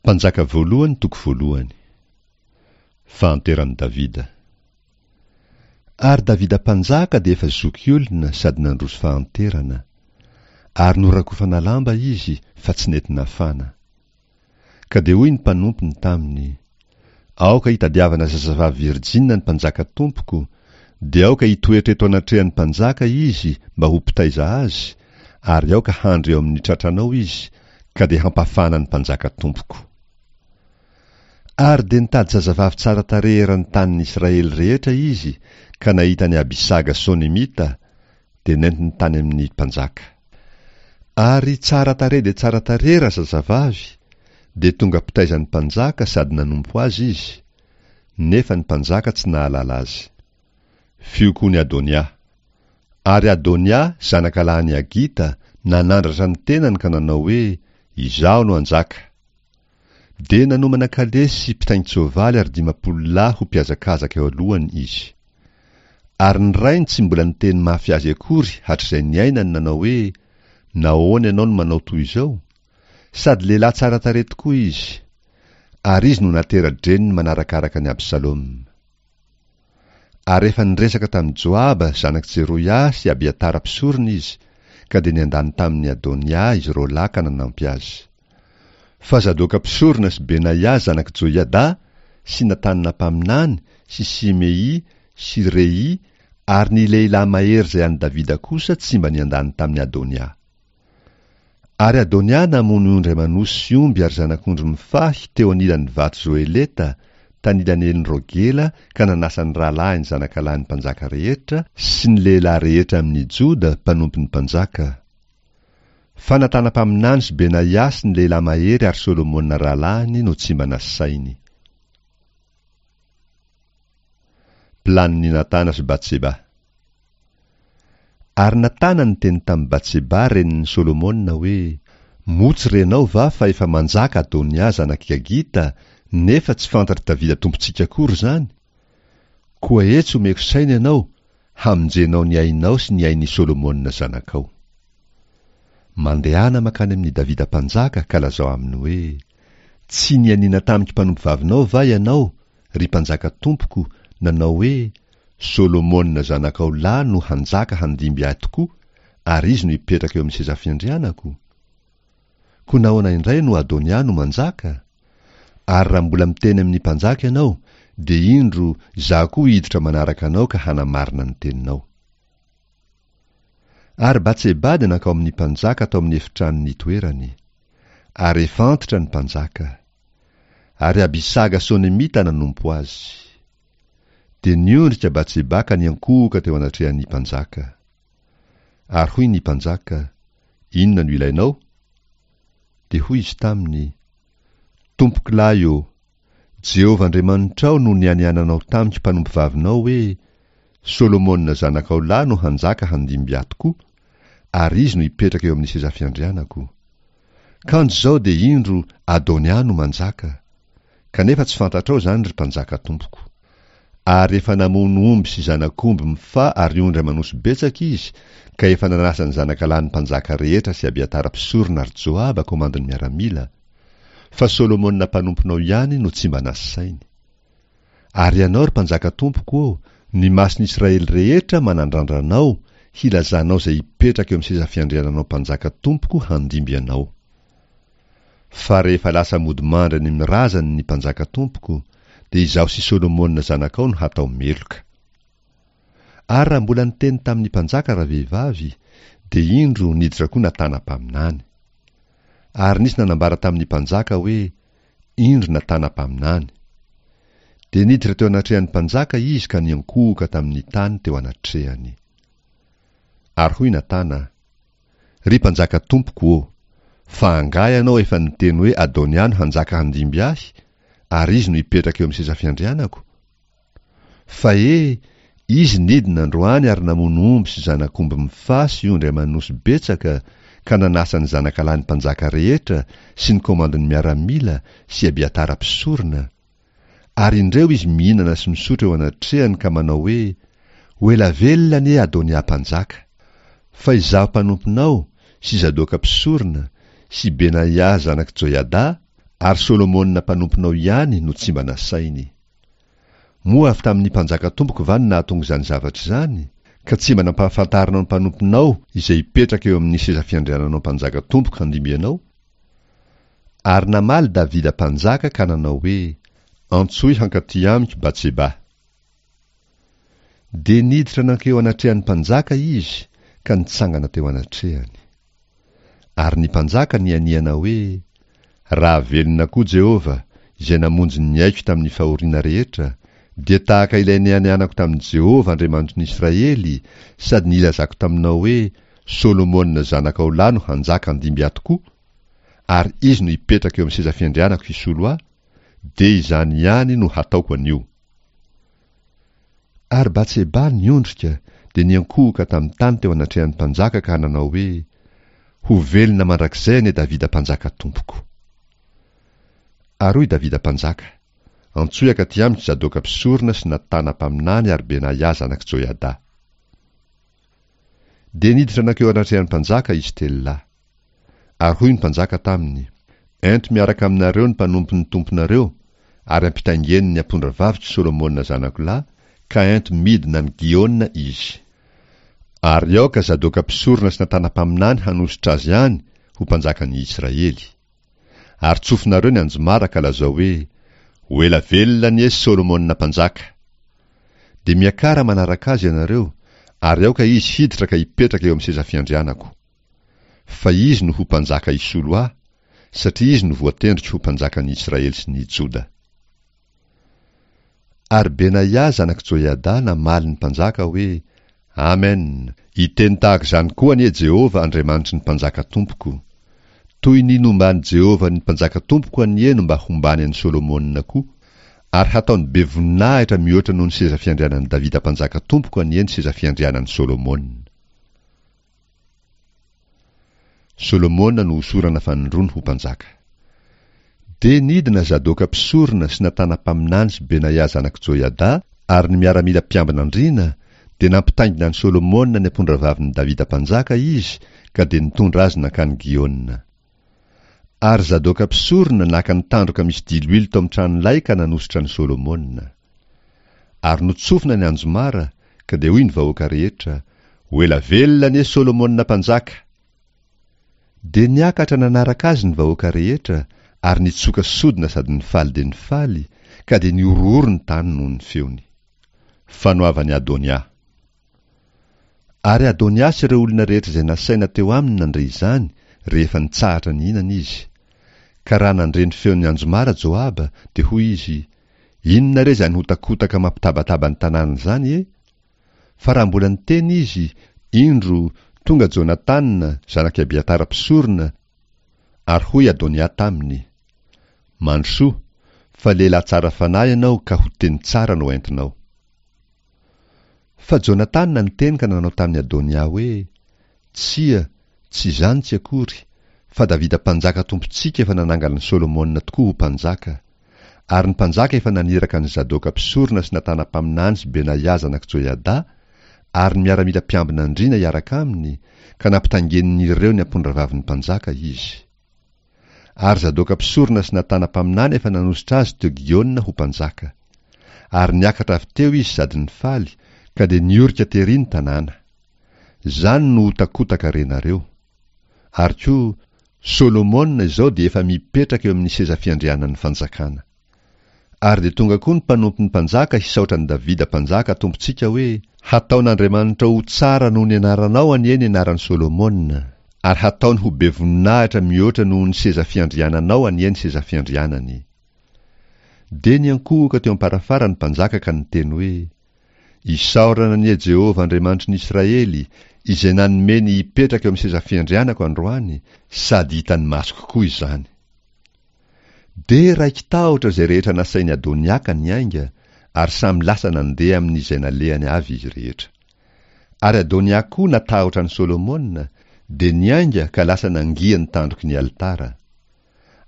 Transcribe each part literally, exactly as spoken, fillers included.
Mpanjaka voalohany toko voalohany. Fahanteran'i Davida. Ary Davida mpanjaka dia efa zokiolona sady nandroso fahanterana. Ary norakofana lamba izy fa tsy nety nafana. Ka dia hoy ny mpanompony taminy, Aoka hitadiavana zazavavy virjina ny mpanjaka tompoko, dia aoka hitoetra eto anatrehan'ny mpanjaka izy mba ho mpitaiza azy, ary aoka handry eo amin'ny tratranao izy, ka dia hampafana ny mpanjaka tompoko. Ary dia nitady zazavavy tsara tarehy eran'ny tanin'ny Israely rehetra izy, ka nahita an'i Abisaga Sonemita, dia nentiny tany amin'ny mpanjaka. Ary tsara tarehy dia tsara tarehy razazavavy, dia tonga mpitaiza ny mpanjaka sady nanompo azy izy, nefa ny mpanjaka tsy nahalala azy. Fiokoan'i Adonia. Ary Adonia, zanakalahin'i Hagita, nanandratra ny tenany ka nanao hoe, Izaho no hanjaka. Dia nanomana kalesy sy mpitaingin-tsoavaly ary dimampolo lahy ho mpihazakazaka eo alohany izy. Ary ny rainy tsy mbola niteny mafy azy akory hatrizay niainany nanao hoe, Nahoana ianao no manao toy izao? Sady lehilahy tsara tarehy tokoa izy. Ary izy no natera-dreniny manarakaraka an'i Absaloma. Ary efa niresaka tamin'i Joaba, zanak'i Jeroia, sy Abiatara mpisorona izy, ka dia niandany tamin'i Adonia izy roa lahy ka nanampy azy. Fa Zadoka mpisorona sy Benaia zanak'i Joiada sy Natana mpaminany sy Simei sy Rei ary ny lehilahy mahery izay an'i Davida kosa tsy mba niandany tamin'i Adonia. Ary Adonia namono ondry aman'osy sy omby ary zanak'ondry mifahy teo anilan'ny vato Zoheleta, tanilan'i Enrogela, ka nanasa ny rahalahiny zanakalahin'ny mpanjaka rehetra, sy ny lehilahy rehetra amin'ny Joda, mpanompon'ny mpanjaka. Fa Natana mpaminany sy Benaia sy ny lehilahy mahery ary Solomona rahalahiny no tsy mba nasainy. Planin'i Natana sy Batseba. Ary Natana niteny tamin'i Batseba renin'i Solomona hoe, Moa tsy renao va fa efa manjaka Adonia zanak'i Gagita, nefa tsy fantatr'i Davida tompontsika akory izany? Koa etsy omeko saina ianao, hamonjenao ny ainao sy ny ain'i Solomona zanakao. Mandehana mankany amin'i Davida mpanjaka ka lazao aminy hoe, Tsy nianiana tamiko mpanompovavinao va ianao, ry mpanjaka tompoko, nanao hoe, Solomona zanakao lahy no hanjaka handimby ahy tokoa, ary izy no hipetraka eo amin'ny seza fiandrianako? Koa nahoana indray no Adonia no manjaka? Ary raha mbola miteny amin'ny mpanjaka ianao, dia indro, izaho koa hiditra manaraka anao ka hanamarina ny teninao. Ary Batseba dia nankao amin'ny mpanjaka tao amin'ny efitrano nitoerany. Ary efa antitra ny mpanjaka. Ary Abisaga Sonemita nanompo azy. Dia niondrika Batseba ka niankohoka teo anatrehan'ny mpanjaka. Ary hoy ny mpanjaka, Inona no ilainao? Dia hoy izy taminy, Tompokolahy ô, Jehovah Andriamanitrao no nianiananao tamiko mpanompovavinao hoe, Solomona zanakao lahy no hanjaka handimby ahy tokoa, ary izy no hipetraka eo amin'ny seza fiandrianako. Kanjo izao dia indro Adonia no manjaka. Kanefa tsy fantatrao izany, ry mpanjaka tompoko. Ary efa namono omby sy zanak'omby mifaha ary ondry aman'osy betsaka izy, ka efa nanasa ny zanakalahin'ny mpanjaka rehetra sy Abiatara mpisorona ary Joaba komandin'ny miaramila. Fa Solomona mpanomponao ihany no tsy mba nasainy. Ary ianao, ry mpanjaka tompoko ô, ny mason'ny Israely rehetra manandrandra anao, hilazanao izay hipetraka eo amin'ny seza fiandriananao mpanjaka tompoko handimby anao. Fa rehefa lasa mody mandry any amin'ny razany ny mpanjaka tompoko, dia izaho sy Solomona zanakao no hatao meloka. Ary raha mbola niteny tamin'ny mpanjaka ravehivavy, dia indro niditra koa Natana mpaminany. Ary nisy nanambara tamin'ny mpanjaka hoe, Indro Natana mpaminany. Dia niditra teo anatrehan'ny mpanjaka izy ka niankohoka tamin'ny tany teo anatrehany. Ary hoy Natana, Ry mpanjaka tompoko ô, fa angaha ianao efa niteny hoe Adonia no hanjaka handimby ahy, ary izy no hipetraka eo amin'ny seza fiandrianako? Fa he, izy nidina androany ary namono omby sy zanak'omby mifaha sy ondry aman'osy betsaka ka nanasa ny zanakalahin'ny mpanjaka rehetra sy ny komandin'ny miaramila sy Abiatara mpisorona. Ary indreo izy mihinana sy misotro eo anatrehany ka manao hoe, Ho ela velona anie Adonia mpanjaka! Fa izaho mpanomponao sy Zadoka mpisorona sy Benaia zanak'i Joiada Ary Solomona mpanomponao ihany no tsy mba nasainy. Moa avy tamin'ny mpanjaka tompoko va no nahatonga izany zavatra izany, ka tsy mba nampahafantarinao ny mpanomponao izay hipetraka eo amin'ny seza fiandriananao mpanjaka tompoko handimby anao? Ary namaly Davida mpanjaka ka nanao hoe, Antsoy hankaty amiko Batseba. Dia niditra nankeo anatrehan'ny mpanjaka izy ka nitsangana teo anatrehany. Ary ny mpanjaka nianiana hoe, Raha velona koa Jehovah, izay namonjy ny aiko tamin'ny fahoriana rehetra, dia tahaka ilay nianianako tamin'i Jehovah Andriamanitry ny Israely, sady nilazako taminao hoe, Solomona zanakao lahy no hanjaka handimby ahy tokoa, ary izy no hipetraka eo amin'ny seza fiandrianako hisolo ahy, dia izany ihany no hataoko anio. Ary Batseba niondrika, dia niankohoka tamin'ny tany teo anatrehan'ny mpanjaka ka nanao hoe, Ho velona mandrakizay anie Davida mpanjaka tompoko. Ary hoy Davida mpanjaka, Antsoy hankaty amiko Zadoka mpisorona sy Natana mpaminany ary Benaia zanak'i Joiada. Dia niditra nankeo anatrehan'ny mpanjaka izy telo lahy. Ary hoy ny mpanjaka taminy, Ento miaraka aminareo ny mpanompon'ny tomponareo, ary ampitaingeno ny ampondravaviko Solomona zanako lahy, ka ento midina any Gihona izy. Ary aoka Zadoka mpisorona sy Natana mpaminany hanosotra azy any ho mpanjakan'ny Israely. Ary tsofinareo ny anjomara ka lazao hoe, Ho ela velona anie Solomona mpanjaka! Dia miakara manaraka azy ianareo, ary aoka izy hiditra ka hipetraka eo amin'ny seza fiandrianako. Fa izy no ho mpanjaka hisolo ahy, satria izy no voatendriko ho mpanjakan'ny Israely sy ny Joda. Ary Benaia zanak'i Joiada namaly ny mpanjaka hoe, Amen! Hiteny tahaka izany koa anie Jehovah Andriamanitry ny mpanjaka tompoko. Toy ny nomban'i Jehovah ny mpanjaka tompoko anie no mba hombany an'i Solomona koa, ary hataony be voninahitra mihoatra noho ny seza fiandrianan'i Davida mpanjaka tompoko anie ny seza fiandrianan'i Solomona. Solomona no hosorana fanindroany ho mpanjaka. Dia nidina Zadoka mpisorona sy Natana mpaminany sy Benaia zanak'i Joiada ary ny miaramila mpiambina andriana, dia nampitaingina an'i Solomona ny ampondravavin'i Davida mpanjaka izy ka dia nitondra azy nankany Gihona. Ary Zadoka mpisorona naka ny tandroka misy diloilo tao amin'ny tranolay ka nanosotra an'i Solomona. Ary notsofina ny anjomara, ka dia hoy ny vahoaka rehetra, Ho ela velona anie Solomona mpanjaka! Dia niakatra nanaraka azy ny vahoaka rehetra, ary nitsoka sodina sady nifaly dia nifaly, ka dia nihorohoro ny tany noho ny feony. Fanoavan'i Adonia. Ary Adonia sy ireo olona rehetra izay nasaina teo aminy nandre izany, rehefa nitsahatra nihinana izy. Ka raha nandre ny feon'ny anjomara Joaba, dia hoy izy, Inona re izany hotakotaka mampitabataba ny tanàna izany e? Fa raha mbola niteny izy, indro, tonga Jonatana, zanak'i Abiatara mpisorona, ary hoy Adonia taminy, Mandrosoa, fa lehilahy tsara fanahy ianao ka ho teny tsara no entinao. Fa Jonatana niteny ka nanao tamin'i Adonia hoe, Tsia, tsy izany tsy akory, fa Davida mpanjaka tompontsika efa nanangana an'i Solomona tokoa ho mpanjaka. Ary ny mpanjaka efa naniraka an'i Zadoka mpisorona sy Natana mpaminany sy Benaia zanak'i Joiada ary ny miaramila mpiambina andriana hiaraka aminy, ka nampitaingenin'ireo ny ampondravavin'ny mpanjaka izy. Ary Zadoka mpisorona sy Natana mpaminany efa nanosotra azy teo Giona ho mpanjaka. Ary niakatra avy teo izy sady nifaly, ka dia niorika tery ny tanàna. Izany no hotakotaka renareo. Ary koa, Solomona izao dia efa mipetraka eo amin'ny seza fiandrianan'ny fanjakana. Ary dia tonga koa ny mpanompon'ny mpanjaka hisaotra an'i Davida mpanjaka tompontsika hoe, Hataon'Andriamanitra ho tsara noho ny anaranao anie ny anaran'i Solomona, ary hataony ho be voninahitra mihoatra noho ny seza fiandriananao anie ny seza fiandrianany. Dia niankohoka teo am-parafara ny mpanjaka ka niteny hoe, Isaorana anie Jehovah Andriamanitry ny Israely, izay nanome ny hipetraka eo amin'ny seza fiandrianako androany, sady hitan'ny masoko koa izany. Dia raiki-tahotra izay rehetra nasain'i Adonia ka niainga, ary samy lasa nandeha amin'izay nalehany avy izy rehetra. Ary Adonia koa natahotra an'i Solomona, dia niainga ka lasa nangia ny tandroky ny alitara.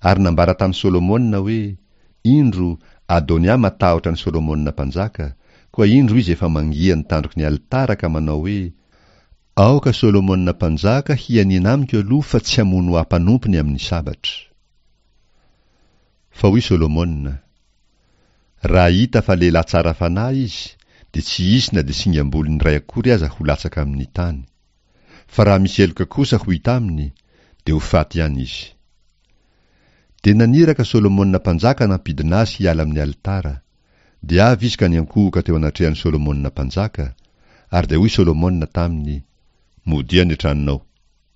Ary nambara tamin'i Solomona hoe, Indro, Adonia matahotra an'i Solomona mpanjaka, koa indro izy efa mangia ny tandroky ny alitara ka manao hoe, Aoka Solomona mpanjaka hianiana amiko aloha fa tsy hamono ahy mpanompony amin'ny sabatra. Fa hoy Solomona, Raha hita fa lehilahy tsara fanahy izy, dia tsy hisy na dia singam-bolony iray akory aza ho latsaka amin'ny tany. Fa raha misy heloka kosa ho hita aminy, dia ho faty ihany izy. Dia naniraka Solomona mpanjaka nampidina azy hiala amin'ny alitara. Dia avy izy ka niankohoka teo anatrehan'i Solomona mpanjaka, ary dia hoy Solomona taminy, Modia any an-tranonao.